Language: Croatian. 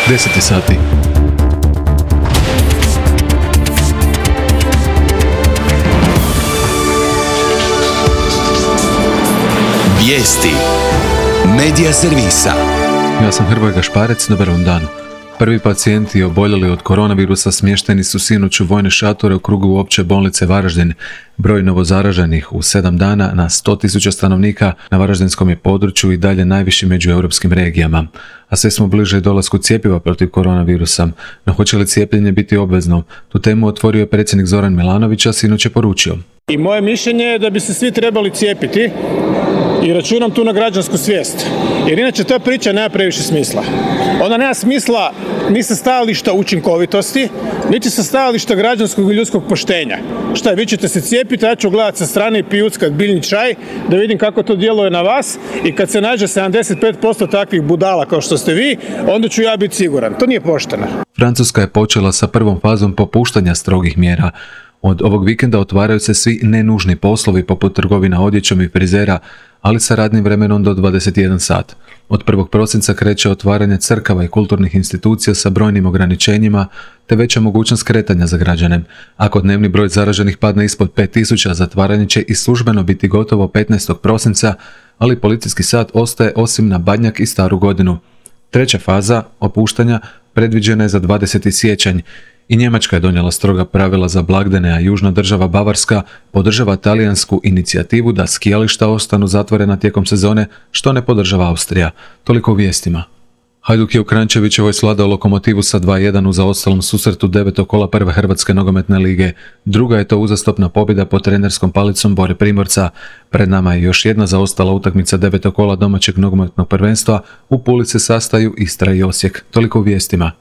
10 sati. Vijesti Medija servisa. Ja sam Hrvoje Gašparec, dobar vam dan. Prvi pacijenti oboljeli od koronavirusa smješteni su sinoć u vojne šatore u krugu opće bolnice Varaždin. Broj novozaraženih u 7 dana na 100.000 stanovnika na varaždinskom je području i dalje najviši među europskim regijama. A sve smo bliže dolasku cjepiva protiv koronavirusa. No hoće li cijepljenje biti obvezno? Tu temu otvorio je predsjednik Zoran Milanović, a sinoć je poručio. I moje mišljenje je da bi se svi trebali cijepiti i računam tu na građansku svijest. Jer inače ta priča nema previše smisla. Ona nema smisla ni sa stajališta učinkovitosti, niti sa stajališta građanskog i ljudskog poštenja. Šta je, vi ćete se cijepiti, ja ću gledati sa strane i pijuckat biljni čaj, da vidim kako to djeluje na vas i kad se nađe 75% takvih budala kao što ste vi, onda ću ja biti siguran. To nije pošteno. Francuska je počela sa prvom fazom popuštanja strogih mjera. Od ovog vikenda otvaraju se svi nenužni poslovi poput trgovina odjećom i frizera, ali sa radnim vremenom do 21 sat. Od 1. prosinca kreće otvaranje crkava i kulturnih institucija sa brojnim ograničenjima te veća mogućnost kretanja za građane. Ako dnevni broj zaraženih padne ispod 5000, zatvaranje će i službeno biti gotovo 15. prosinca, ali policijski sat ostaje osim na Badnjak i Staru godinu. Treća faza opuštanja predviđena je za 20. siječanj. I Njemačka je donijela stroga pravila za blagdane, a južna država Bavarska podržava talijansku inicijativu da skijališta ostanu zatvorena tijekom sezone, što ne podržava Austrija. Toliko u vijestima. Hajduk je u Kranjčevićevoj svladao Lokomotivu sa 2:1 u zaostalom susretu 9. kola prve Hrvatske nogometne lige. Druga je to uzastopna pobjeda pod trenerskom palicom Bore Primorca. Pred nama je još jedna zaostala utakmica 9. kola domaćeg nogometnog prvenstva. U Puli se sastaju Istra i Osijek. Toliko u vijestima.